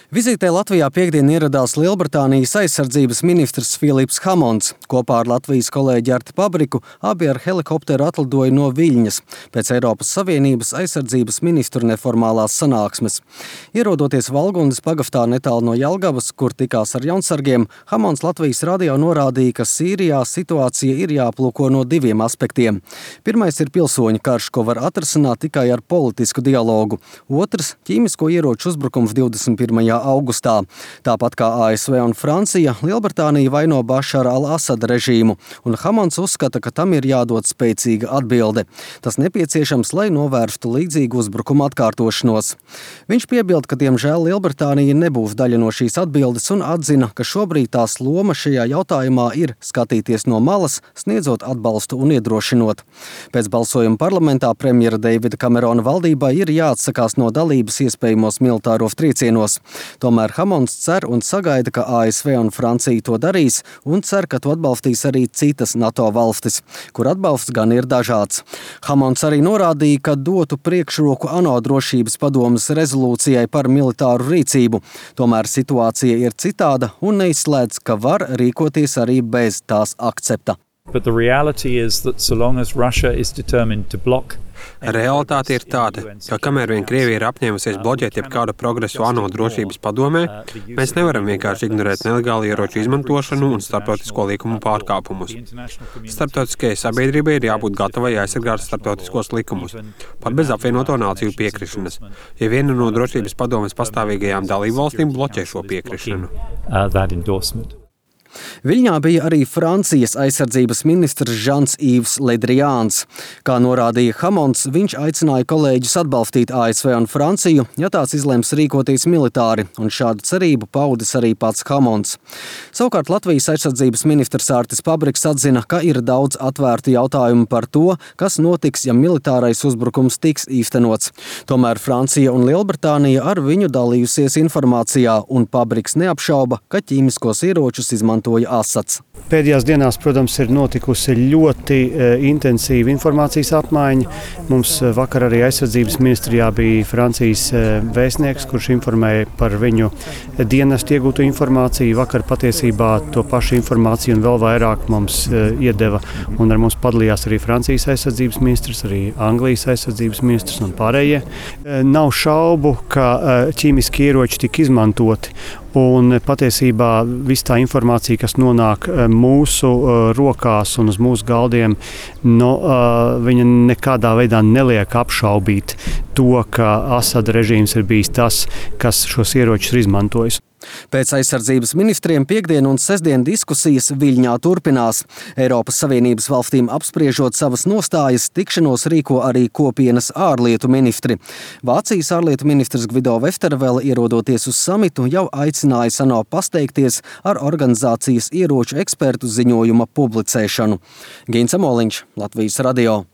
Vizītē Latvijā piektdien ieradās Lielbritānijas aizsardzības ministrs Filips Hamons. Kopā ar Latvijas kolēģi Arti Pabriku abi ar helikopteru atlidoja no Viļņas pēc Eiropas Savienības aizsardzības ministru neformālās sanāksmes. Ierodoties Valgundas pagaftā netālu no Jelgavas, kur tikās ar jaunsargiem, Hamons Latvijas radio norādīja, ka Sīrijā situācija ir jāplūko no diviem aspektiem. Pirmais ir pilsoņu karš, ko var atrisināt tikai ar politisku dialogu. Otrs – ķīmisko ieroču uzbrukums 21. augustā. Tāpat kā ASV un Francija, Lielbritānija vaino Bašara al-Asada režīmu, un Hamons uzskata, ka tam ir jādod spēcīga atbilde. Tas nepieciešams, lai novērstu līdzīgu uzbrukumu atkārtošanos. Viņš piebilda, ka diemžēl Lielbritānija nebūs daļa no šīs atbildes un atzina, ka šobrīd tās loma šajā jautājumā ir skatīties no malas, sniedzot atbalstu un iedrošinot. Pēc balsojuma parlamentā premjera Deivida Kamerona valdībai ir jāatsakās no dalības iespējamos militāros triecienos. Tomēr Hamons cer un sagaida, ka ASV un Francija to darīs, un cer, ka to atbalstīs arī citas NATO valstis, kur atbalsts gan ir dažāds. Hamons arī norādīja, ka dotu priekšroku ANO drošības padomes rezolūcijai par militāru rīcību. Tomēr situācija ir citāda un neizslēdz, ka var rīkoties arī bez tās akcepta. But the reality is that so long as Russia is determined to block Realitāte ir tāda, ka kamēr vien Krievija ir apņēmusies bloķēt jebkādu progresu ANO drošības padomē, mēs nevaram vienkārši ignorēt nelegālu ieroču izmantošanu un starptautisko likumu pārkāpumus. Starptautiskajai sabiedrībai ir jābūt gatavai aizsargāt starptautiskos likumus, pat bez apvienoto nāciju piekrišanas, ja viena no drošības padomes pastāvīgajām dalībvalstīm bloķē šo piekrišanu. Viļņā bija arī Francijas aizsardzības ministrs Žans-Īvs Le Drians. Kā norādīja Hamons, viņš aicināja kolēģus atbalstīt ASV un Franciju, ja tās izlems rīkoties militāri, un šādu cerību paudis arī pats Hamons. Savukārt Latvijas aizsardzības ministrs Artis Pabriks atzina, ka ir daudz atvērtu jautājumu par to, kas notiks, ja militārais uzbrukums tiks īstenots. Tomēr Francija un Lielbritānija ar viņu dalījusies informācijā, un Pabriks neapšauba, ka ķīmiskos ieročus izmantoja Asads. Pēdējās dienās, protams, ir notikusi ļoti intensīva informācijas apmaiņa. Mums vakar arī aizsardzības ministrijā bija Francijas vēstnieks, kurš informēja par viņu dienestu iegūto informāciju. Vakar patiesībā to pašu informāciju un vēl vairāk mums iedeva, un ar mums padalījās arī Francijas aizsardzības ministrs, arī Anglijas aizsardzības ministrs un pārējie. Nav šaubu, ka ķīmiski ieroči tika izmantoti. Un patiesībā viss tā informācija, kas nonāk mūsu rokās un uz mūsu galdiem, viņa nekādā veidā neliek apšaubīt to, ka Asada režīms ir bijis tas, kas šos ieročus ir izmantojis. Pēc aizsardzības ministriem piektdien un sestdien diskusijas Viļņā turpinās. Eiropas Savienības valstīm apspriežot savas nostājas, tikšanos rīko arī kopienas ārlietu ministri. Vācijas ārlietu ministrs Gvido Westervele, ierodoties uz samitu, jau aicināja ANO pasteikties ar organizācijas ieroču ekspertu ziņojuma publicēšanu. Gins Amoliņš, Latvijas radio.